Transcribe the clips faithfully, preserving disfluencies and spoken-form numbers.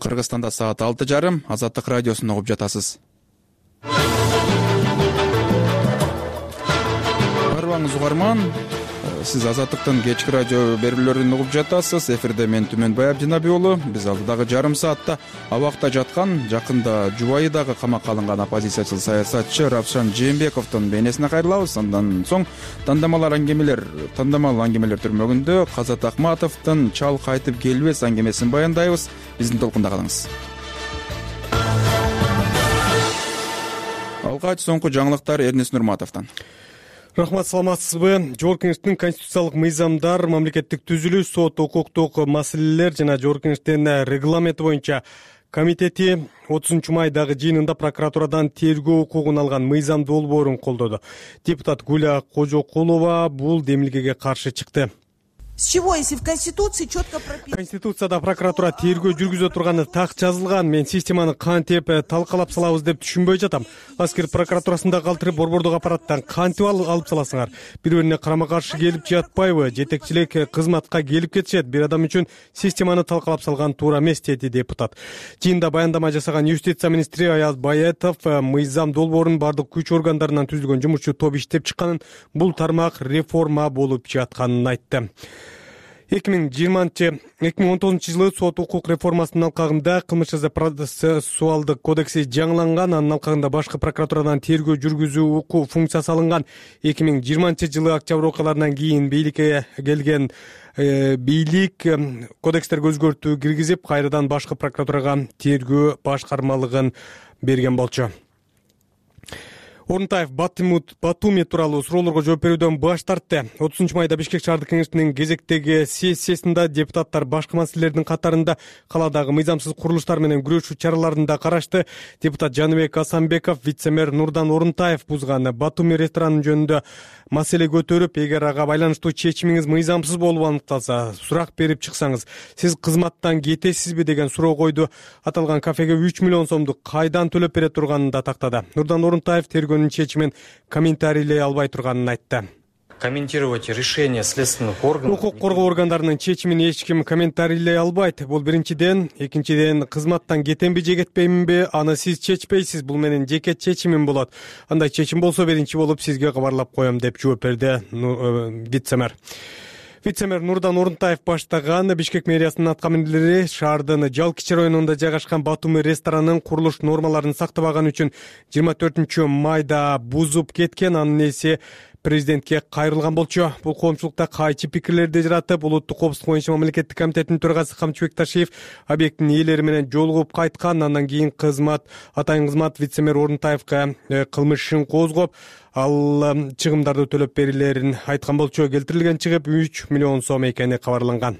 Кыргызстанда саат алты жарым. Азаттык радиосун угуп жатасыз. Барбаңыз угарман. Сиз Азаттыктын кечки радио берүүлөрүн угуп жатасыз. Эфирде мен Түмөнбай Абдинаби уулу. Биз алдыдагы жарым саатта абакта жаткан, жакында Жубайыдагы камакка алынган оппозициячыл саясатчы Равшан Жээнбековдун бейнесине кайрылабыз. Андан соң тандамалар аңгемелер, тандамал аңгемелер түрмөгүндө Казат Акматовдун чал кайтып келбес аңгемесин баяндайбыз. Биздин толкунда калыңыз. Алгач соңку жаңылыктар Эрнис Нурматовдон. Рахмат, саламатсызбы? Жогорку Кеңештин конституциялык мыйзамдар, мамлекеттик түзүлүш, сот, укуктук маселелер жана Жогорку Кеңештин регламенти боюнча комитети отузунчу майдагы жыйынында прокуратурадан тергөө укугун алган мыйзам долбоорун колдоду. Депутат Гуля Кожокулова бул демилгеге каршы чыкты. С чего, если в Конституции четко прописано? Конституцияда прокуратура тергөө жүргүзө турганы так жазылган. Мен системаны кантип талкалап салабыз деп түшүнбөй жатам. Аскер прокуратурасында калтырып борбордук аппараттан кантип алып саласыңар? Бири-бирине карама каршы келип жатпайбы? Жетекчилик кызматка келип кетишет. Бир адам үчүн системаны талкалап салган туура эмес, деди депутат. Жыйында баяндама жасаган юстиция министри Аяз Баятов мыйзам долбоорунун бардык күч органдарынан түзүлгөн жумушчу топ иштеп чыкканын, бул тармак реформа болуп жатканын айтты. эки миң жыйырманчы эки миң он тогузунчу жылы сот укук реформасынын алкагында кылмыш жаза процессуалдык кодекси жаңыланган, анын алкагында башкы прокуратурадан тергөө жүргүзүү укук функциясы алынган. эки миң жыйырманчы жылы октябрь окуяларынан кийин бийликке келген бийлик кодекстерге өзгөртүү киргизип, кайрадан башкы прокуратурага тергөө башкармалыгын берген болчу. Орунтаев Батуми тууралуу суроолорго жооп берүүдөн баш тартты. отузунчу майда Бишкек шаардык кеңешинин кезектеги сессиясында депутаттар башка маселелердин катарында каладагы мыйзамсыз курулуштар менен күрөшүү чараларын да карашты. Депутат Жаныбек Асанбеков вице-мэр Нурдан Орунтаев бузган Батуми ресторанын жөнүндө маселе көтөрүп, эгер ага байланыштуу чечимиңиз мыйзамсыз болуп аныкталса, сурак берип чыксаңыз, сиз кызматтан кетесизби деген суроо койду. Аталган кафеге үч миллион сомду кайдан төлөп бере турганын да тактады. Нурдан Орунтаев тергөөнүн чечимин комментарийлей албай турганын айтты. Комментировать решение следственных органов. Укук коргоо органдарынын чечимин эч ким комментарийлей албайт. Бул биринчиден, экинчиден, кызматтан кетемби же кетпейминби, аны сиз чечпейсиз, бул менин жеке чечимим болот. Андай чечим болсо биринчи болуп сизге кабарлап коем, деп жооп берди вице-мэр. Вице-мэр Нурдан Орунтаев баштаган Бишкек мэриясынын аткаминерлери шаардын Жалкичи районунда жайгашкан Батуми ресторанынын курулуш нормаларын сактабаган үчүн жыйырма төртүнчү майда бузуп кеткен. Анын ээси президентке кайрылган болчу. Бул коомчулукта кайчы пикирлерди жаратып, улуттук коопсуздук боюнча мамлекеттик комитеттин төрагасы Камчыбек Ташиев объекттин ээлери менен жолугуп кайткан. Андан кийин кызмат атайын кызмат вице-мэр Орунтаевга кылмыш ишин козгоп, ал чыгымдарды төлөп берилерин айткан болчу. Келтирилген чыгым үч миллион сом экени кабарланган.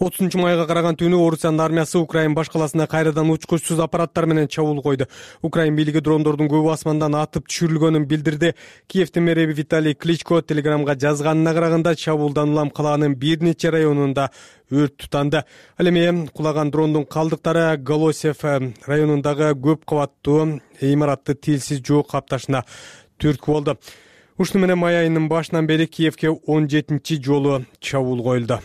отузунчу майга караган түнү Орусиянын армиясы Украин баш каласына кайрадан учкучсуз аппараттар менен чабуул койду. Украин бийлиги дрондордун көбү асмандан атып түшүрүлгөнүн билдирди. Киевдин мэри Виталий Кличко телеграмга жазганына караганда чабуулдан улам калаанын бир нече районунда өрт тутанды. Ал эми кулаган дрондун калдыктары Голосев районундагы көп кабаттуу имаратты тилсиз жоо капташына түрткү болду. Ушуну менен май айынын башынан бери Киевге он жетинчи жолу чабуул коюлду.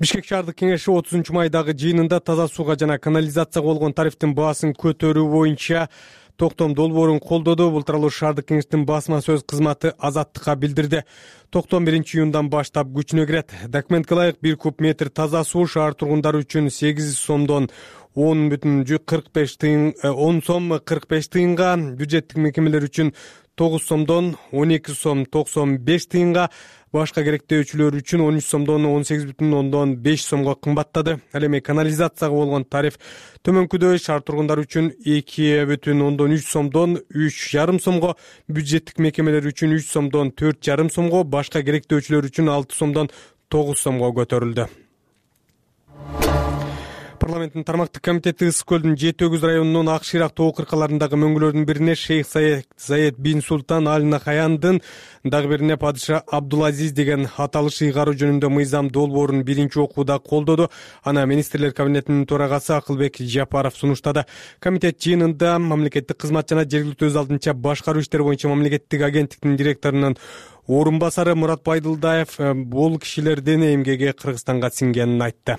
Бишкек шаардык кеңеши отузунчу майдагы жыйынында таза сууга жана канализацияга болгон тарифтин баасын көтөрүү боюнча токтом долбоорун колдоду. Бул тууралуу шаардык кеңештин басма сөз кызматы Азаттыкка билдирди. Токтом биринчи июндан баштап күчүнө кирет. Документке ылайык бир куб метр таза суу шаар тургундары үчүн сегиз сомдон он бүтүн кырк беш тыйын он сом кырк беш тыйынга, бюджеттик мекемелер үчүн тогуз сомдон он эки сом токсон беш тыйынга, башка керектөөчүлөр үчүн он үч сомдон он сегиз бүтүн ондон беш сомго кымбаттады. Ал эми канализацияга болгон тариф төмөнкүдөй. Шаар тургундары үчүн эки бүтүн ондон үч сомдон үч жарым сомго, бюджеттик мекемелер үчүн үч сомдон төрт жарым сомго, башка керектөөчүлөр үчүн алты сомдон тогуз сомго көтөрүлдү. Парламенттин тармактык комитети Ысык көлдүн жети өгүз районунун Ак Шыйрак тоо кыркаларындагы мөңгүлөрдүн бирине шейх Заед бин Султан Аль Нахаяндын, дагы бирине падыша Абдулазиз деген аталыш ыйгаруу жөнүндө мыйзам долбоорун биринчи окууда колдоду. Аны министрлер кабинетинин төрагасы Акылбек Жапаров сунуштады. Комитет жыйынында мамлекеттик кызмат жана жергиликтүү өз алдынча башкаруу иштери боюнча мамлекеттик агенттиктин директорунун орун басары Мурат Байдылдаев бул кишилердин эмгеги Кыргызстанга сиңгенин айтты.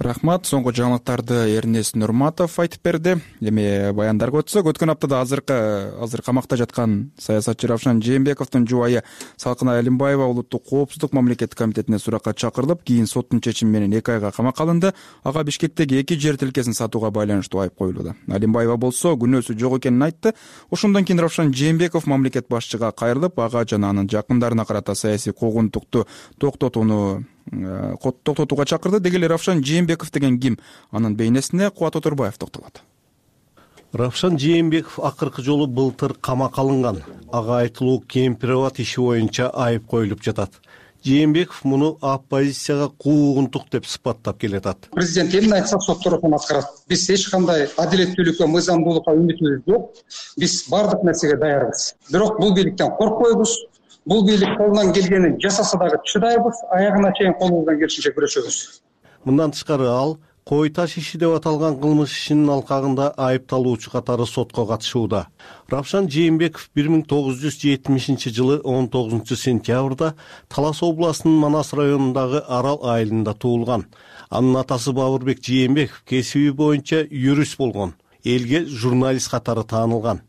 Рахмат. Соңку жаңылыктарды Эрнест Нурматов айтып берди. Эми баяндарга өтсөк, өткөн аптада азыркы азыр камакта жаткан саясатчы Равшан Жээнбековдун жубайы Салкынай Алимбаева улуттук коопсуздук мамлекеттик комитетине суракка чакырылып, кийин соттун чечими менен эки айга камакка алынды. Ага Бишкектеги эки жер тилкесин сатууга байланыштуу айып коюлууда. Алимбаева болсо күнөөсү жок экенин айтты. Ошондон кийин Равшан Жээнбеков мамлекет башчыга кайрылып, ага жана анын жакындарына карата саясий куугунтукту токтотууну токтотууга чакырды. Деги эле Равшан Жээнбеков деген ким? Анын бейнесине Кубат Оторбаев токтолот. Равшан Жээнбеков акыркы жолу былтыр камакка алынган. Ага айтылуу кемпироват иши боюнча айып коюлуп жатат. Жээнбеков муну оппозицияга куугунтук деп сыпаттап келатат. Президент эмне айтса сот тарапынан аткарат. Биз эч кандай адилеттүүлүккө, мыйзамдуулукка үмүтүбүз жок. Биз бардык нерсеге даярбыз. Бирок бул бийликтен коркпойбуз. Бул бийлик колунан келгенин жасаса дагы чыдайбыз, аягына чейин колубуздан келишинче күрөшөбүз. Мындан тышкары ал кой таш иши деп аталган кылмыш ишинин алкагында айыпталуучу катары сотко катышууда. Равшан Жээнбеков бир миң тогуз жүз жетимишинчи жылы он тогузунчу сентябрда Талас областынын Манас районундагы Арал айылында туулган. Анын атасы Бабырбек Жээнбеков кесиби боюнча юрист болгон, элге журналист катары таанылган.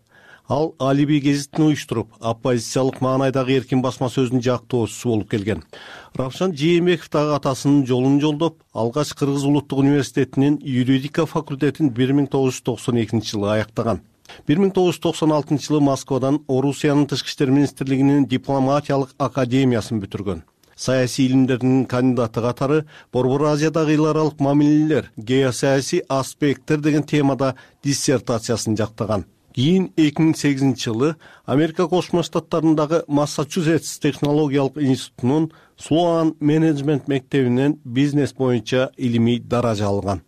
Ал Алиби гезитин уюштуруп, оппозициялык маанайдагы эркин басма сөздүн жактоочусу болуп келген. Равшан Жээнбеков дагы атасынын жолун жолдоп, алгач Кыргыз улуттук университетинин юридика факультетин бир миң тогуз жүз токсон экинчи жылы аяктаган. бир миң тогуз жүз токсон алтынчы жылы Москвадан Орусиянын тышкы иштер министрлигинин дипломатиялык академиясын бүтүргөн. Саясий илимдердин кандидаты катары Борбор Азиядагы эл аралык мамилелер, геосаясий аспекттер деген темада диссертациясын жактаган. Кийин эки миң сегизинчи жылы Америка Кошмо Штаттарындагы Массачусетс технологиялык институтунун Слоан менеджмент мектебинен бизнес боюнча илимий даража алган.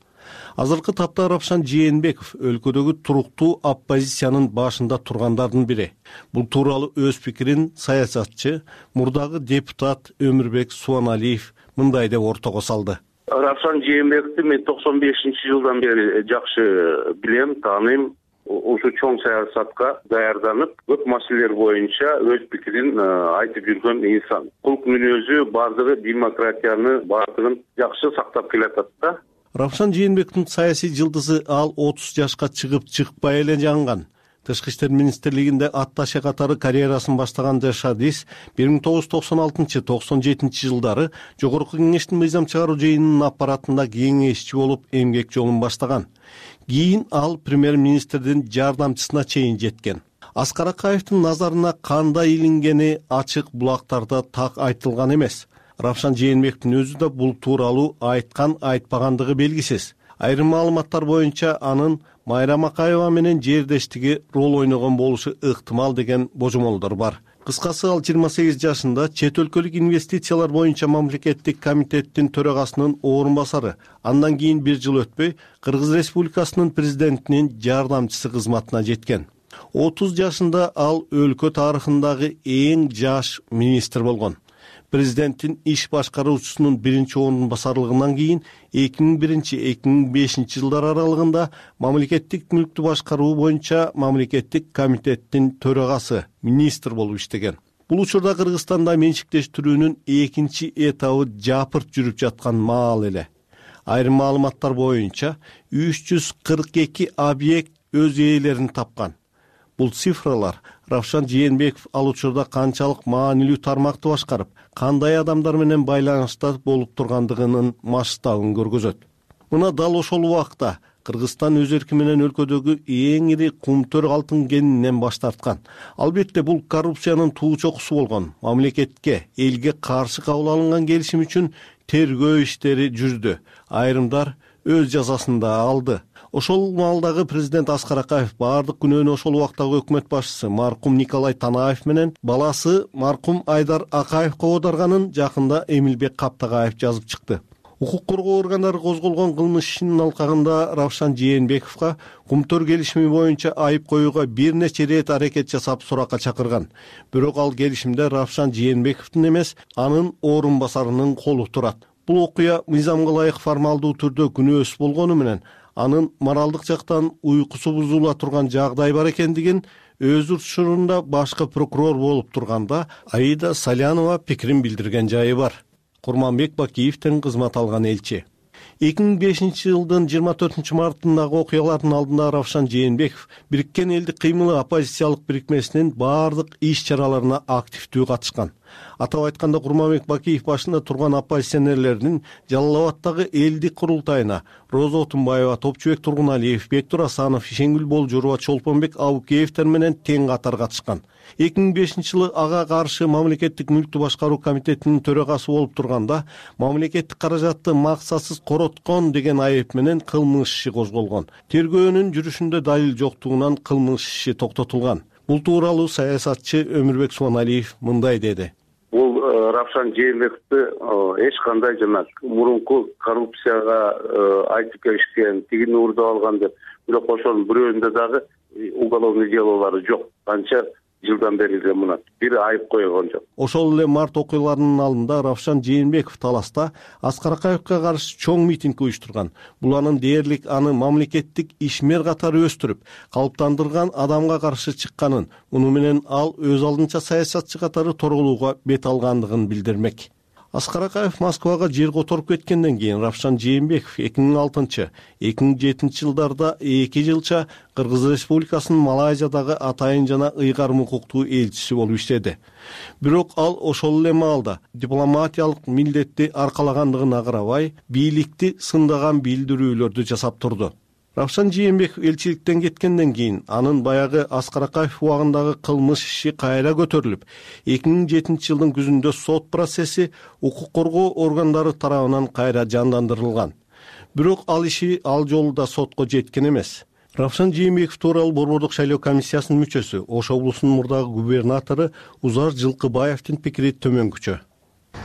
Азыркы тапта Равшан Жээнбеков өлкөдөгү туруктуу оппозициянын башында тургандардын бири. Бул тууралуу өз пикирин саясатчы, мурдагы депутат Өмүрбек Суаналиев мындай деп ортого салды. Равшан Жээнбековду мен токсон бешинчи жылдан бери жакшы билем, тааныйм. Ушу чоң саясатка даярданып, көп маселелер боюнча өз пикирин айтып жүргөн инсан. Кулк мүнөзү бардыгы демократияны бардыгын жакшы сактап келатат да. Равшан Жээнбековдун саясий жылдызы ал отуз жашка чыгып чыкпай эле жаңган. Тышкы иштер министрлигинде атташе катары карьерасын баштаган Жашадис бир миң тогуз жүз токсон алтынчы — токсон жетинчи жылдары Жогорку Кеңештин мыйзам чыгаруу жыйынынын аппаратында кеңешчи болуп эмгек жолун баштаган. Кийин ал премьер-министрдин жардамчысына чейин жеткен. Аскар Акаевдин назарына кандай илингени ачык булактарда так айтылган эмес. Равшан Жээнбековдун өзү да бул тууралуу айткан айтпагандыгы белгисиз. Айрым маалыматтар боюнча анын Майрам Акаева менен жердештиги рол ойногон болушу ыктымал деген божомолдор бар. Кыскасы ал жыйырма сегиз жашында чет өлкөлүк инвестициялар боюнча мамлекеттик комитеттин төрагасынын орун басары. Андан кийин бир жыл өтпөй Кыргыз Республикасынын президентинин жардамчысы кызматына жеткен. отуз жашында ал өлкө тарыхындагы эң жаш министр болгон. Президенттин иш башкаруучусунун биринчи орун басарлыгынан кийин эки миң биринчи — эки миң бешинчи жылдар аралыгында мамлекеттик мүлктү башкаруу боюнча мамлекеттик комитеттин төрагасы, министр болуп иштеген. Бул учурда Кыргызстанда менчиктештирүүнүн экинчи этабы жапырт жүрүп жаткан маал эле. Айрым маалыматтар боюнча үч жүз кырк эки объект өз ээлерин тапкан. Бул цифралар Равшан Жээнбеков ал учурда канчалык маанилүү тармакты башкарып, кандай адамдар менен байланышта болуп тургандыгынын масштабын көргөзөт. Мына дал ошол убакта Кыргызстан өз эрки менен өлкөдөгү эң ири кумтөр алтын кенинен баш тарткан. Албетте бул коррупциянын туу чокусу болгон. Мамлекетке, элге каршы кабыл алынган келишим үчүн тергөө иштери жүрдү. Айрымдар өз жазасын да алды. Ошол маалдагы президент Аскар Акаев бардык күнөөнү ошол убактагы өкмөт башчысы маркум Николай Танаев менен баласы маркум Айдар Акаевге оодарганын жакында Эмилбек Каптагаев жазып чыкты. Укук коргоо органдары козголгон кылмыш ишинин алкагында Равшан Жээнбековго кумтөр келишими боюнча айып коюуга бир нече ирет аракет жасап суракка чакырган. Бирок ал келишимде Равшан Жээнбековдун эмес, анын орун басарынын колу турат. Бул окуя мыйзамга ылайык формалдуу түрдө күнөөсүз болгону менен анын моралдык жактан уйкусу бузула турган жагдай бар экендигин өз учурунда башкы прокурор болуп турганда Аида Салянова пикирин билдирген жайы бар. Курманбек Бакиевден кызмат алган элчи. эки миң бешинчи жылдын жыйырма төртүнчү мартындагы окуялардын алдында Равшан Жээнбеков Бириккен Элдик кыймылы оппозициялык бирикмесинин баардык иш-чараларына активдүү катышкан. Атап айтканда, Курманбек Бакиев башында турган оппозиционерлердин Жалал Абаддагы элдик курултайына Роза Отунбаева, Топчубек Тургуналиев, Бектур Асанов, Ишенгүл Болжурова, Чолпонбек Абукеевтер менен тең катар катышкан. эки миң бешинчи жылы ага каршы Мамлекеттик мүлктү башкаруу комитетинин төрагасы болуп турганда, мамлекеттик каражатты максатсыз короткон деген айып менен кылмыш иши козголгон. Тергөөнүн жүрүшүндө далил жоктугунан кылмыш иши токтотулган. Бул тууралуу саясатчы Өмүрбек Субаналиев мындай деди. Бул Равшан Жээнбековду эч кандай жана мурунку коррупцияга айтып келишкен, тигини уурдап алган деп, бирок ошонун бирөөндө дагы уголовный делолору жок. Канча жылдан бери эле мына бир айып койгон жок. Ошол эле март окуяларынын алдында Равшан Жээнбеков Таласта Аскар Акаевге каршы чоң митинг уюштурган. Бул анын дээрлик аны мамлекеттик ишмер катары өстүрүп, калыптандырган адамга каршы чыкканын, муну менен ал өз алдынча саясатчы катары торголууга бет алгандыгын билдирмек. Аскар Акаев Москвага жер которуп кеткенден кийин Равшан Жээнбеков эки миң алтынчы — эки миң жетинчи жылдарда эки жылча Кыргыз Республикасынын Малайзиядагы атайын жана ыйгарым укуктуу элчиси болуп иштеди. Бирок ал ошол эле маалда дипломатиялык милдетти аркалагандыгына карабай, бийликти сындаган билдирүүлөрдү жасап турду. Равшан Жээнбеков элчиликтен кеткенден кийин анын баягы Аскар Акаев убагындагы кылмыш иши кайра көтөрүлүп, эки миң жетинчи жылдын күзүндө сот процесси укук коргоо органдары тарабынан кайра жандандырылган. Бирок ал иши ал жолу да сотко жеткен эмес. Равшан Жээнбеков тууралуу Борбордук шайлоо комиссиясынын мүчөсү, Ош облусунун мурдагы губернатору Узар Жылкыбаевдин пикири төмөнкүчө.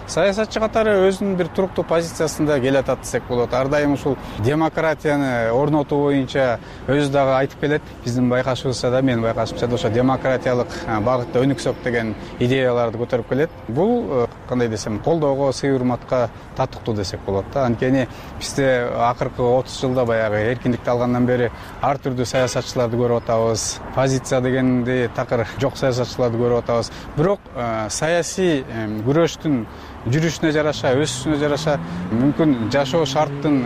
Саясатчы катары өзүнүн бир туруктуу позициясында келатат десек болот. Ар дайым ушул демократияны орнотуу боюнча өзү дагы айтып келет. Биздин байкашыбызча да, менин байкашымча да ошо демократиялык багытта өнүксөк деген идеяларды көтөрүп келет. Бул кандай десем, колдоого, сый урматка татыктуу десек болот да. Анткени бизде акыркы отуз жылда баягы эркиндикти алгандан бери ар түрдүү саясатчыларды көрүп атабыз. Позиция дегенди такыр жок саясатчыларды көрүп атабыз. Бирок саясий күрөштүн жүрүшүнө жараша, өсүшүнө жараша, мүмкүн жашоо шарттын,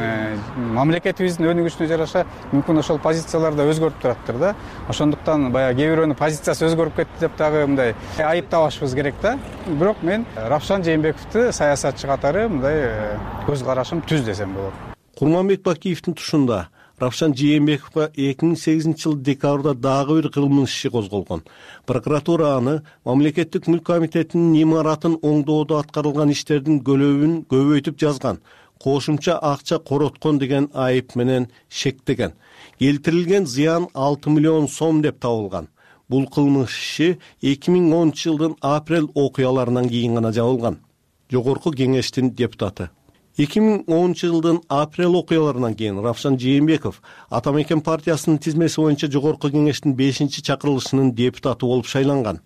мамлекетибиздин өнүгүшүнө жараша мүмкүн ошол позициялар да өзгөрүп тураптыр да. Ошондуктан баягы кээ бирөөнүн позициясы өзгөрүп кетти деп дагы мындай айыптабашыбыз керек да. Бирок мен Равшан Жээнбековду саясатчы катары мындай көз карашым түз десем болот. Курманбек Бакиевдин тушунда Равшан Жээнбековго эки миң сегизинчи жылы декабрда дагы бир кылмыш иши козголгон. Прокуратура аны Мамлекеттик мүлк комитетинин имаратын оңдоодо аткарылган иштердин көлөбүн көбөйтүп жазган, кошумча акча короткон деген айып менен шектеген. Келтирилген зыян алты миллион сом деп табылган. Бул кылмыш иши эки миң онунчу жылдын апрель окуяларынан кийин гана жабылган. Жогорку кеңештин депутаты. эки миң онунчу жылдын апрель окуяларынан кийин Равшан Жээнбеков Ата Мекен партиясынын тизмеси боюнча Жогорку кеңештин бешинчи чакырылышынын депутаты болуп шайланган.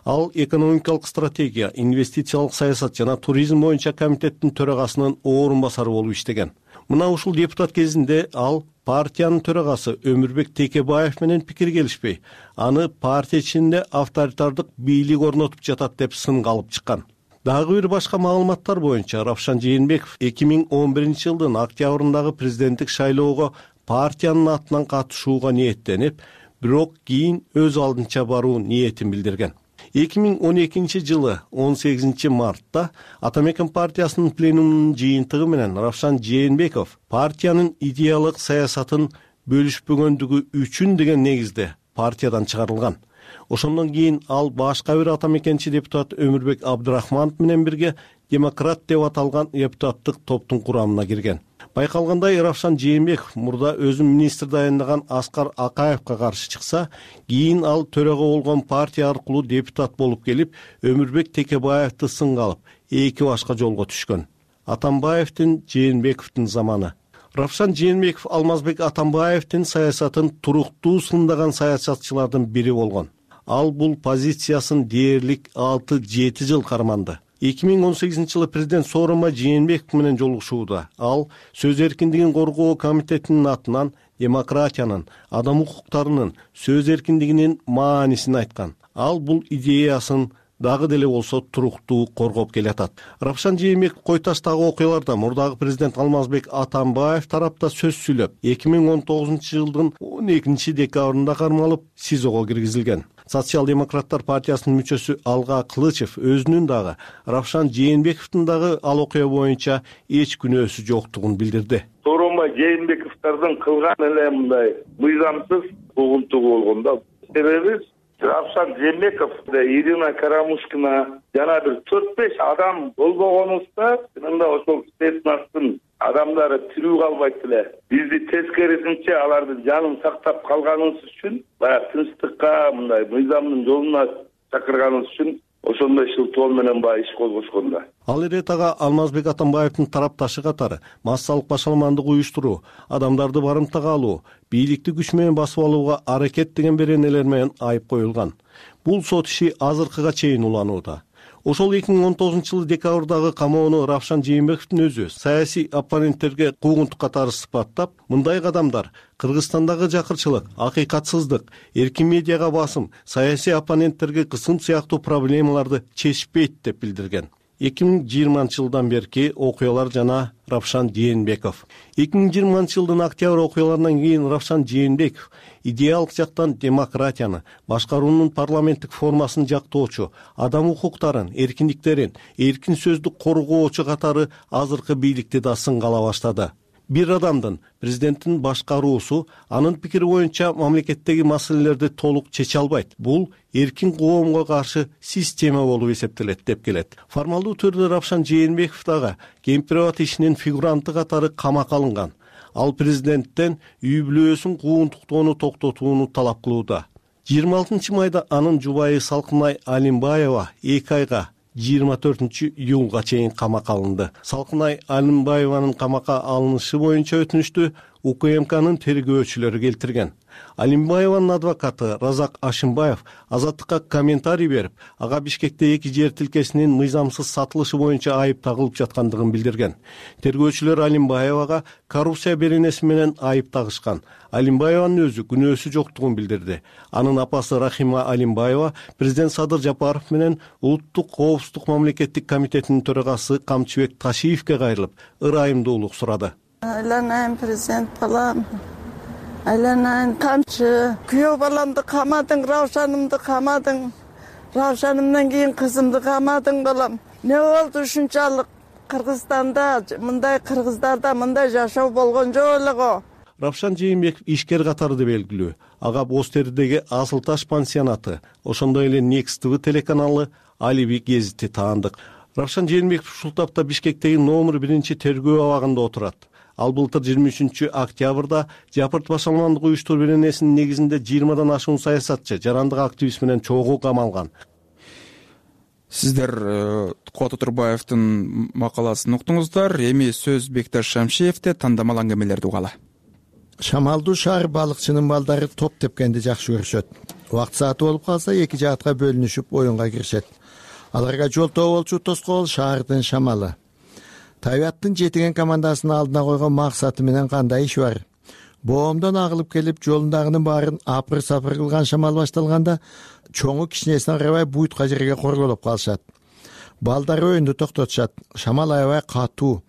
Ал экономикалык стратегия, инвестициялык саясат жана туризм боюнча комитеттин төрагасынын орун басары болуп иштеген. Мына ушул депутат кезинде ал партиянын төрагасы Өмүрбек Текебаев менен пикир келишпей, аны партия ичинде авторитардык бийлик орнотуп жатат деп сынга алып чыккан. Дагы бир башка маалыматтар боюнча Равшан Жээнбеков эки миң он биринчи жылдын октябрындагы президенттик шайлоого партиянын атынан катышууга ниеттенип, бирок кийин өз алдынча баруу ниетин билдирген. эки миң он экинчи жылы он сегизинчи мартта Ата Мекен партиясынын пленумунун жыйынтыгы менен Равшан Жээнбеков партиянын идеялык саясатын бөлүшпөгөндүгү үчүн деген негизде партиядан чыгарылган. Ошондон кийин ал башка бир Ата Мекенчи депутат Өмүрбек Абдырахманов менен бирге демократ деп аталган депутаттык топтун курамына кирген. Байкалгандай, Равшан Жээнбеков мурда өзүн министр дайындаган Аскар Акаевга каршы чыкса, кийин ал төрага болгон партия аркылуу депутат болуп келип, Өмүрбек Текебаевди сынга алып, эки башка жолго түшкөн. Атамбаевдин, Жээнбековдун заманы. Равшан Жээнбеков Алмазбек Атамбаевдин саясатын туруктуу сындаган саясатчылардын бири болгон. Ал бул позициясын дээрлик алты жети жыл карманды. эки миң он сегизинчи жылы президент Сооронбай Жээнбеков менен жолугушууда ал сөз эркиндигин коргоо комитетинин атынан демократиянын, адам укуктарынын, сөз эркиндигинин маанисин айткан. Ал бул идеясын дагы деле болсо туруктуу коргоп келатат. Равшан Жээнбеков Кой Таштагы окуяларда мурдагы президент Алмазбек Атамбаев тарапта сөз сүйлөп, эки миң он тогузунчу жылдын он экинчи декабрында кармалып СИЗОго киргизилген. Социал-демократтар партиясынын мүчөсү Алга Кылычев өзүнүн дагы Равшан Жээнбековдун дагы ал окуя боюнча эч күнөөсү жоктугун билдирди. Сооронбай Жээнбековдордун кылган эле мындай мыйзамсыз угунтугу болгон да. Себеби Равшан Жээнбеков, Ирина Карамушкина жана бир төрт беш адам болбогонубузда, мында ошол спецнастын адамдары тирүү калбайт эле. Бизди тескерисинче алардын жанын сактап калганыбыз үчүн, баягы тынчтыкка, мындай мыйзамдын жолуна чакырганыбыз үчүн ошондой шылтоо менен баягы иш козгошкон да. Ал эретага Алмазбек Атамбаевдин тарапташы катары массалык башаламандык уюштуруу, адамдарды барымтага алуу, бийликти күч менен басып алууга аракет деген беренелер менен айып коюлган. Бул сот иши азыркыга чейин уланууда. Ошол эки миң он тогузунчу жылы декабрдагы камоону Равшан Жээнбековдун өзү саясий оппоненттерге куугунтук катары сыпаттап, мындай кадамдар Кыргызстандагы жакырчылык, акыйкатсыздык, эркин медиага басым, саясий оппоненттерге кысым сыяктуу проблемаларды чечпейт деп билдирген. эки миң жыйырманчы жылдан берки окуялар жана Равшан Жээнбеков. эки миң жыйырманчы жылдын октябрь окуяларынан кийин Равшан Жээнбеков идеалдык жактан демократияны, башкаруунун парламенттик формасын жактоочу, адам укуктарын, эркиндиктерин, эркин сөздү коргоочу катары азыркы бийликти да сынгала баштады. Бир адамдын, президенттин башкаруусу анын пикири боюнча мамлекеттеги маселелерди толук чече албайт. Бул эркин коомго каршы система болуп эсептелет деп келет. Формалдуу түрдө Равшан Жээнбеков дагы кемпирабад ишинин фигуранты катары камакка алынган. Ал президенттен үй бүлөсүн куугунтуктоону токтотууну талап кылууда. жыйырма алтынчы майда анын жубайы Салкынай Алимбаева эки айга жыйырма төртүнчү июлга чейин камакка алынды. Салкынай Алимбаеванын камакка алынышы боюнча өтүнүштү УКМКнын тергөөчүлөрү келтирген. Алимбаеванын адвокаты Разак Ашимбаев Азаттыкка комментарий берип, ага Бишкекте эки жер тилкесинин мыйзамсыз сатылышы боюнча айып тагылып жаткандыгын билдирген. Тергөөчүлөр Алимбаевага коррупция беренеси менен айып тагышкан. Алимбаеванын өзү күнөөсү жоктугун билдирди. Анын апасы Рахима Алимбаева президент Садыр Жапаров менен Улуттук коопсуздук мамлекеттик комитетинин төрагасы Камчыбек Ташиевке кайрылып, ырайымдуулук сурады. Айланайын президент балам, айланайын камчы, күйөө баламды камадың, Равшанымды камадың, Равшанымдан кийин кызымды камадың балам. Не болду ушунчалык Кыргызстанда, мындай кыргыздарда мындай жашоо болгон жок эле го. Равшан Жээнбеков ишкер катары да белгилүү. Ага Боз Теридеги Асыл Таш пансионаты, ошондой эле Next ти ви телеканалы, Алиби гезити таандык. Равшан Жээнбеков ушул тапта Бишкектеги номер биринчи тергөө абагында отурат. Ал былтыр жыйырма үчүнчү октябрда Жапырт башаламандык уюштуруу беренесинин негизинде жыйырмадан ашуун саясатчы, жарандык активист менен чогуу камалган. Сиздер Кубат Отурбаевдин макаласын уктуңуздар. Эми сөз Бекташ Шамшиевде тандамал аңгемелерди угалы. Шамалдуу шаар балыкчынын балдары топ тепкенди жакшы көрүшөт. Убакыт сааты болуп калса эки жаатка бөлүнүшүп оюнга киришет. Аларга жолтоо болчу тоскоол шаардын шамалы. Табиаттын жетиген командасынын алдына койгон максаты менен кандай иш бар? Боомдон агылып келип, жолундагынын баарын апыр-сапыр кылган шамал башталганда, чоңу кичинесине карабай буйтка жерге корголоп калышат. Балдар оюнду токтотушат. Шамал аябай катуу.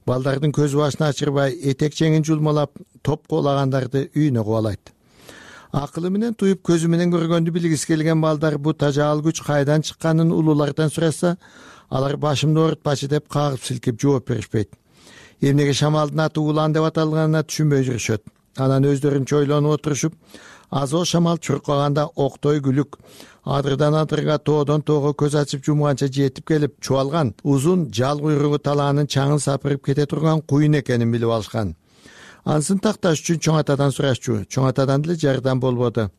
Балдардын көз башын ачырбай, этек жеңин жулмалап, топ куулагандарды үйүнө кубалайт. Акылы менен туюп, көзү менен көргөндү билгиси келген балдар бу тажаал күч кайдан чыкканын улуулардан сураса, алар башымды оорутпачы деп кагып силкип жооп беришпейт. Эмнеге шамалдын аты улан деп аталганына түшүнбөй жүрүшөт. Анан өздөрүнчө ойлонуп отурушуп, азо шамал чуркаганда октой күлүк, адырдан адырга, тоодон тоого көз ачып жумганча жетип келип, чубалган узун жал куйругу талаанын чаңын сапырып кете турган куюн экенин билип алышкан. Ансын такташ үчүн чоң атадан сурашчу. Чоң атадан деле жардам болбоду.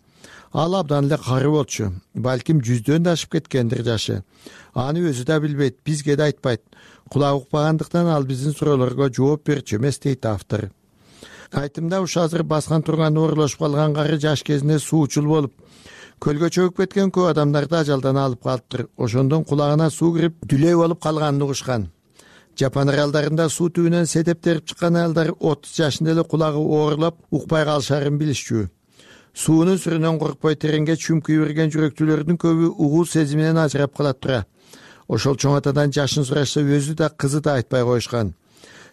Ал абдан эле кары болчу. Балким жүздөн да ашып кеткендир жашы. Аны өзү да билбейт, бизге да айтпайт. Кулак укпагандыктан ал биздин суроолорго жооп берчү эмес дейт автор. Айтымда уш азыр баскан турган оорулашып калган кары жаш кезинде суучул болуп, көлгө чөгүп кеткен көп адамдарды ажалдан алып калыптыр. Ошондон кулагына суу кирип, дүлөй болуп калганын угушкан. Жапон аралдарында суу түбүнөн сетептерип чыккан аялдар отуз жашында эле кулагы оорулап, укпай калышарын билишчү. суунун сүрүнөн коркпой тереңге чүмкүй берген жүрөктүүлөрдүн көбү угуу сезиминен ажырап калат тура. Ошол чоң атадан жашын сурашса өзү да кызы да айтпай коюшкан.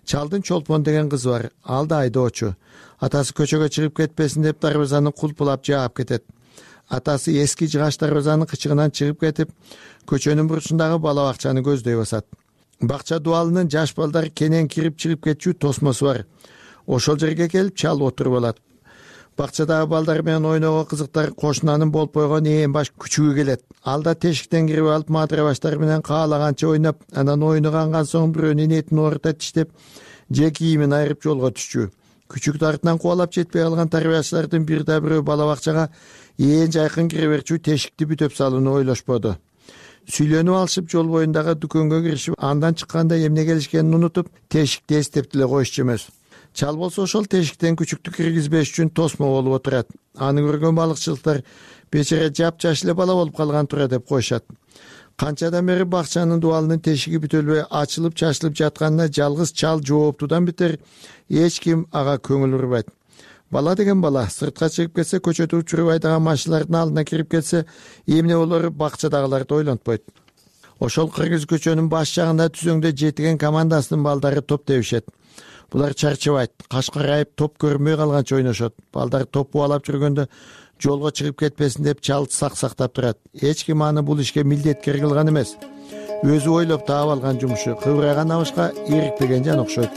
Чалдын Чолпон деген кызы бар, ал да айдоочу. Атасы көчөгө чыгып кетпесин деп дарбазаны кулпулап жаап кетет. Атасы эски жыгач дарбазанын кычыгынан чыгып кетип, көчөнүн бурчундагы бала бакчаны көздөй басат. Бакча дуалынын жаш балдар кенен кирип чыгып кетчү тосмосу бар. Ошол жерге келип чал отуруп алат. Бакчадагы балдар менен ойногон кызыктар кошунанын болуп койгон ээн баш күчүгү келет. Ал да тешиктен кирип алып мадыра баштар менен каалаганча ойноп, анан ойногонган соң бирөөнүн этин оорута тиштеп, же кийимин айырып жолго түшчү. Күчүктү артынан кубалап жетпей калган тарбиячылардын бир да бирөө бала бакчага ээн жайкын кире берчү тешикти бүтөп салууну ойлошподу. Сүйлөнүп алышып жол боюндагы дүкөнгө киришип, андан чыкканда эмне келишкенин унутуп, тешикти эстеп деле коюшчу эмес. Чал болсо ошол тешиктен күчүктү киргизбеш үчүн тосмо болуп отурат. Аны көргөн балыкчылыктар бечара жапжаш эле бала болуп калган тура деп коюшат. Канчадан бери бакчанын дуалынын тешиги бүтөлбөй ачылып чачылып жатканына жалгыз чал жооптудан бетер эч ким ага көңүл бурбайт. Бала деген бала, сыртка чыгып кетсе, көчөдө учуруп айдаган машиналардын алдына кирип кетсе, эмне болору бакчадагыларды ойлонтпойт. Ошол кыргыз көчөнүн баш жагында түзөңдө жетиген командасынын балдары топ тебишет. Булар чарчабайт, каш карайып топ көрүнбөй калганча ойношот. Балдар топ буулап жүргөндө жолго чыгып кетпесин деп чал сак сактап турат. Эч ким аны бул ишке милдеткер кылган эмес. Өзү ойлоп таап алган жумушу, кыбырайган абышка ийрикпеген жан окшойт.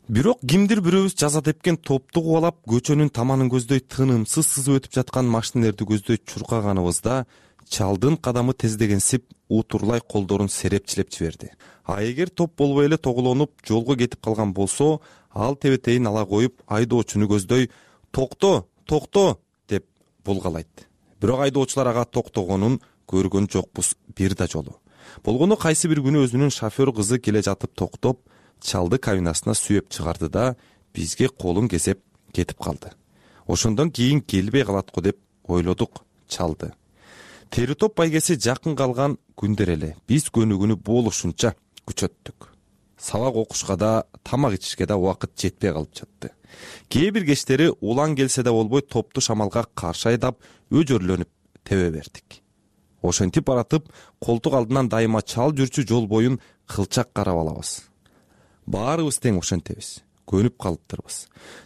Бирок кимдир бирөөбүз жаза тепкен топту кубалап, көчөнүн таманын көздөй тынымсыз сызып өтүп жаткан машинелерди көздөй чуркаганыбызда чалдын кадамы тездегенсип утурлай колдорун серепчилеп жиберди. А эгер топ болбой эле тоголонуп жолго кетип калган болсо, ал тебетейин ала коюп айдоочуну көздөй «Токто, токто!» деп булгалайт. Бирок айдоочулар ага токтогонун көргөн жокпуз бир да жолу. Болгону кайсы бир күнү өзүнүн шофер кызы келе жатып токтоп, чалды кабинасына сүйөп чыгарды да бизге колун кесеп кетип калды. Ошондон кийин келбей калат го деп ойлодук чалды. Тери топ байгеси жакын калган күндөр эле биз көнүгүүнү болушунча күчөттүк. Сабак окушка да, тамак ичишке да убакыт жетпей калып жатты. Кээ бир кечтери улан келсе да болбой топту шамалга каршы айдап, өжөрлөнүп тебе бердик. Ошентип баратып, колтук алдынан дайыма чал жүрчү жол боюн кылчак карап алабыз. Баарыбыз тең ошентебиз, көнүп калыптырбыз.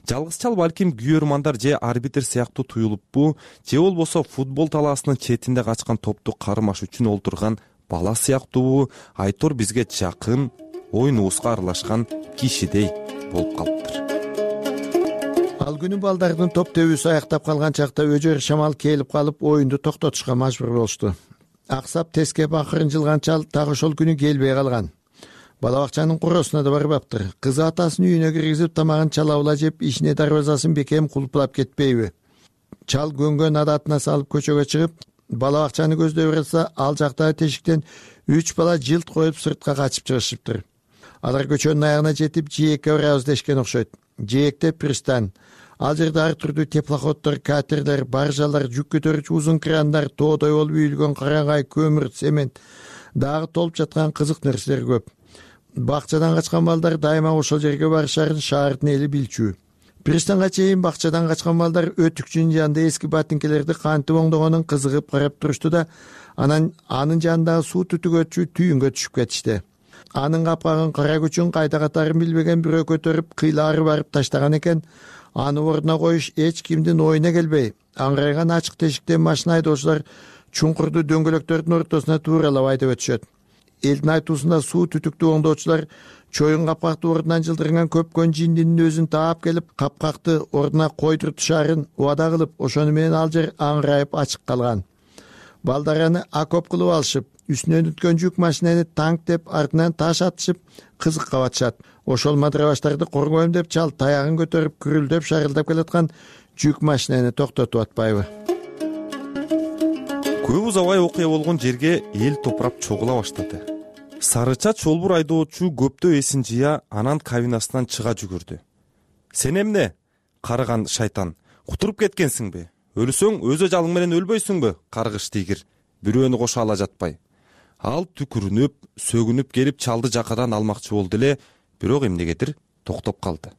Жалгыз чал балким күйөрмандар же арбитр сыяктуу туюлуппу, же болбосо футбол талаасынын четинде качкан топту кармаш үчүн олтурган бала сыяктуубу, айтор бизге жакын, ойнубузга аралашкан кишидей болуп калыптыр. Ал күнү балдардын топ тебүүсү аяктап калган чакта өжөр шамал келип калып оюнду токтотушка мажбур болушту. Аксап тескеп акырын жылган чал так ошол күнү келбей калган. Бала бакчанын куросуна да барбаптыр. Кызы атасынын үйүнө киргизип тамагын чалабыла жеп, ишине дарбазасын бекем кулпулап кетпейби? Чал көнгөн адатына салып көчөгө чыгып, бала бакчаны көздөй барса, ал жактагы тешиктен үч бала жылт коюп сыртка качып чыгышыптыр. Алар көчөнүн аягына жетип, жээкке барабыз дешкен окшойт. Жээкте пристань. Ал жерде ар түрдүү теплоходдор, катерлер, баржалар, жүк көтөрүүчү узун крандар, тоодой болуп үйүлгөн караңгай, көмүр, цемент, дагы толуп жаткан кызык нерселер көп. Бакчадан качкан балдар дайыма ошол жерге барышарын шаардын эли билчү. Пристанга чейин бакчадан качкан балдар өтүкчүнүн жанында эски ботинкелерди кантип оңдогонун кызыгып карап турушту да, анан анын жанындагы суу түтүгөчү түйүнгө түшүп кетишти. Анын капкагын кара күчүн кайда катарын билбеген бирөө көтөрүп кыйлаары барып таштаган экен. Аны ордуна коюш эч кимдин оюна келбей, аңгырайган ачык тешиктен машина айдоочулар чуңкурду дөңгөлөктөрдүн ортосуна тууралап айдап өтүшөт. Элдин айтуусунда суу түтүктү оңдоочулар чоюн капкакты ордунан жылдырган көпкөн жиндинин өзүн таап келип, капкакты ордуна койдуртушаарын убада кылып, ошону менен ал жер аңгырайып ачык калган. Балдар аны окоп кылып алышып, үстүнөн өткөн жүк машинени танк деп, артынан таш атышып, кызыкка батышат. Ошол мадрабаштарды коргойм деп чал таягын көтөрүп, күрүлдөп шарылдап келаткан жүк машинени токтотуп атпайбы? Көп узабай окуя болгон жерге эл топурап чогула баштады. Сарыча чолбур айдоочу көптөө эсин жыя, анан кабинасынан чыга жүгүрдү. Сен эмне, карыган шайтан, кутуруп кеткенсиңби? Өлсөң өз ажалың менен өлбөйсүңбү, каргыш тигир, бирөөнү кошо ала жатпай. Ал түкүрүнүп, сөгүнүп келип чалды жакадан алмакчы болду эле, бирок эмнегедир токтоп калды.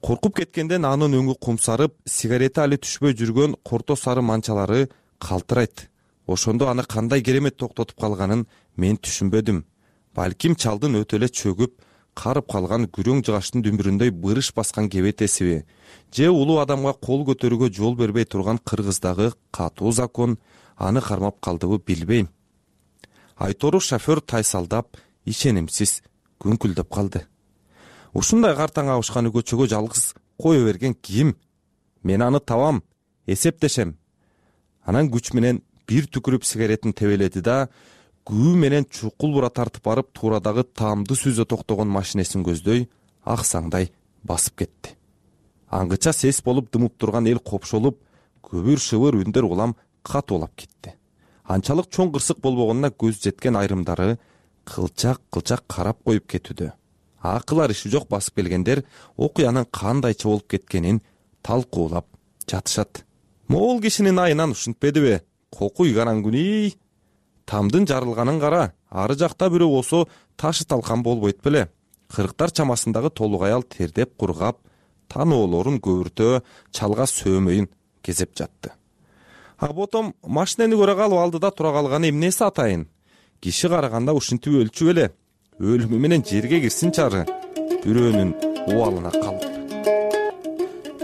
Коркуп кеткенден анын өңү кумсарып, сигарети али түшпөй жүргөн корто сары манчалары калтырайт. Ошондо аны кандай керемет токтотуп калганын мен түшүнбөдүм. Балким чалдын өтө эле чөгүп, карып калган күрөң жыгачтын дүмбүрүндөй бырыш баскан кебетесиби, же улуу адамга кол көтөрүүгө жол бербей турган Кыргыздагы катуу закон аны кармап калдыбы билбейм. Айтору шофер тайсалдап, ишенимсиз күңкүлдөп калды. Ушундай картаң абышканы көчөгө жалгыз кое берген ким? Мен аны табам, эсептешем. Анан күч менен бир түкүрүп сигаретин тебеледи да, күү менен чукул бура тартып барып туурадагы таамды сүзө токтогон машинесин көздөй аксаңдай басып кетти. Аңгыча сес болуп дымып турган эл копшолуп, көбүр шыбыр үндөр улам катуулап кетти. Анчалык чоң кырсык болбогонуна көз жеткен айрымдары кылчак-кылчак карап коюп кетүүдө. Акылар иши жок басып келгендер окуянын кандайча болуп кеткенин талкуулап жатышат. Могул кишинин айынан ушинтпедиби? Кокуй караңгүнүй. Тамдын жарылганын кара, ары жакта бирөө болсо ташы талкан болбойт беле. Кырктар чамасындагы толук аял тердеп кургап, таноолорун көбүртө, чалга сөөмөйүн кезеп жатты. А ботом машинени көрө калып алдыда тура калганы эмнеси атайын? Киши караганда ушинтип өлчү беле. Өлүмү менен жерге кирсин чары. Бирөөнүн убалына калып.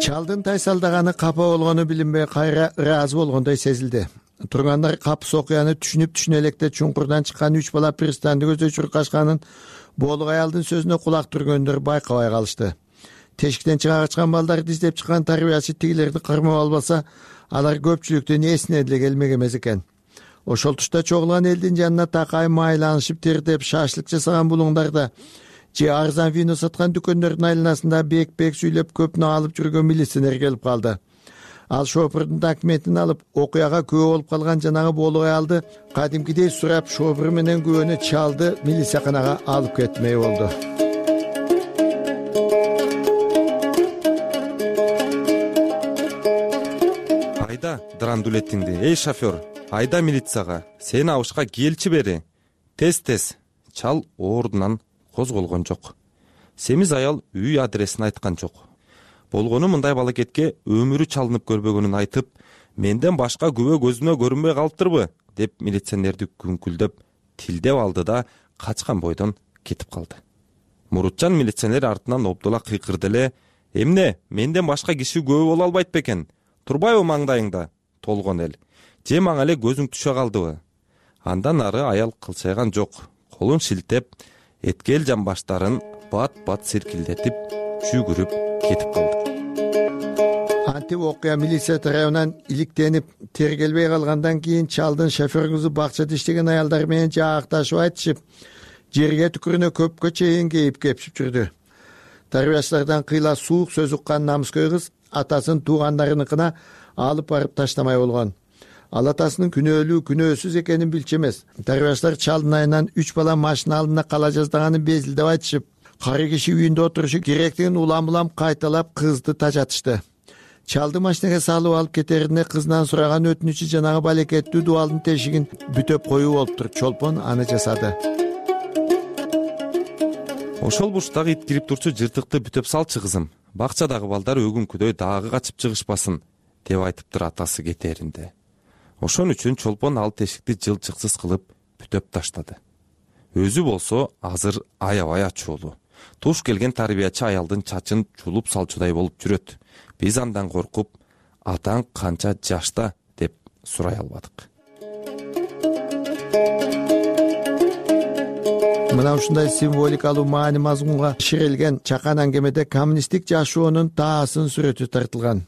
Чалдын тайсалдаганы капа болгону билинбей кайра ыраазы болгондой сезилди. Тургандар капыс окуяны түшүнүп түшүнө электе чуңкурдан чыккан үч бала пристанды көздөй чуркашканын боолук аялдын сөзүнө кулак түргөндөр байкабай калышты. Тешиктен чыга качкан балдарды издеп чыккан тарбиячы тигилерди кырмап албаса, алар көпчүлүктүн эсине деле келмек эмес экен. Ошол тушта чогулган элдин жанына такай майланышып тердеп шашлык жасаган булуңдарда же арзан вино саткан дүкөндөрдүн айланасында бек-бек сүйлөп көпнө алып жүргөн милиционер келип калды. Ал шофердун документин алып, окуяга күбө болуп калган жанагы боолук аялды кадимкидей сурап, шофер менен күбөнү чалды милицияканага алып кетмей болду. Айда драндулетиңди, эй шофер, айда милицияга, сени абышка келчи бери. Тез-тез. Чал ордунан козголгон жок. Семиз аял үй адресин айткан жок. Болгону мындай балакетке өмүрү чалынып көрбөгөнүн айтып, менден башка күбө көзүмө көрүнбөй калыптырбы, деп милиционерди күңкүлдөп, тилдеп алды да качкан бойдон кетип калды. Мурутчан милиционер артынан обдула кыйкырды эле: "Эмне, менден башка киши күбө боло албайт бекен? Турбайбы маңдайыңда?" Толгон эл. "Же мага эле көзүң түшө калдыбы?" Андан ары аял кылчайган жок. Колун шилтеп, эткел жамбаштарын бат-бат сиркилдетип, жүгүрүп кетип калды. Антип окуя милиция тарабынан иликтенип тергелбей калгандан кийин чалдын шофер кызы бакчада иштеген аялдар менен жаакташып айтышып, жерге түкүрүнө көпкө чейин кейип кепшип жүрдү. Тарбиячылардан кыйла суук сөз уккан намыскөй кыз атасын туугандарыныкына алып барып таштамай болгон. Ал атасынын күнөөлүү күнөөсүз экенин билчү эмес. Тарбиячылар чалдын айынан үч бала машина алдында кала жаздаганын безилдеп айтышып, кары киши үйүндө отурушу керектигин улам-улам кайталап кызды тажатышты. Чалды машинеге салып алып кетеринде кызынан сураган өтүнүчү жанагы балекеттүү дубалдын тешигин бүтөп коюу болуптур. Чолпон аны жасады. Ошол бурчтагы ит кирип турчу жыртыкты бүтөп салчы кызым. Бакчадагы балдар өгүнкүдөй дагы качып чыгышпасын, деп айтыптыр атасы кетеринде. Ошон үчүн чолпон ал тешикти жылчыксыз кылып бүтөп таштады. Өзү болсо азыр аябай ачуулуу. Туш келген тарбиячы аялдын чачын чулуп салчудай болуп жүрөт. Биз андан коркуп, атаң канча жашта, деп сурай албадык. Мына ушундай символикалуу маани мазмунга ширелген чакан аңгемеде коммунисттик жашоонун таасын сүрөтү тартылган.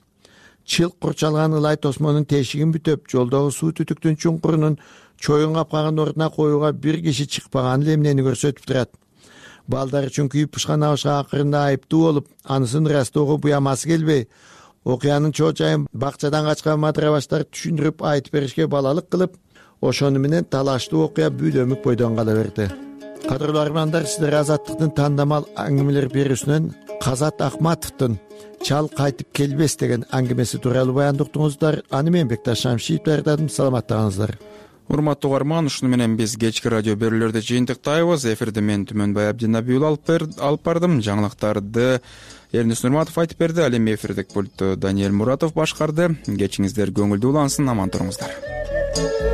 Чылк курчалган ылай тосмонун тешигин бүтөп, жолдогу суу түтүктүн чуңкурунун чоюн капкаган ордуна коюуга бир киши чыкпаган эле эмнени көрсөтүп турат. Балдар үчүн күйүп пышкан абышка акырында айыптуу болуп, анысын ырастоого буямасы келбей, окуянын чоо-чайын бакчадан качкан матырабаштар түшүндүрүп айтып беришке балалык кылып, ошону менен талаштуу окуя бүлөмүк бойдон кала берди. Кадырлуу армандар, сиздер Азаттыктын тандамал аңгемелер берүүсүнөн Казат Акматовдун "Чал кайтып келбес" деген аңгемеси тууралуу баяндыктыңыздар. Аны мен Бекташ Шамшиев даярдадым. Саламаттыгыңыздар. урматтуу угарман, ушуну менен биз кечки радио берүүлөрдү жыйынтыктайбыз. Эфирде мен Түмөнбай Абдинабиұлы алып бардым. Жаңылыктарды Эрнис Нурматов айтып берди. Ал эми эфирдик пультту Даниэль Муратов башкарды. Кечиңиздер көңүлдүү улансын, аман туруңуздар.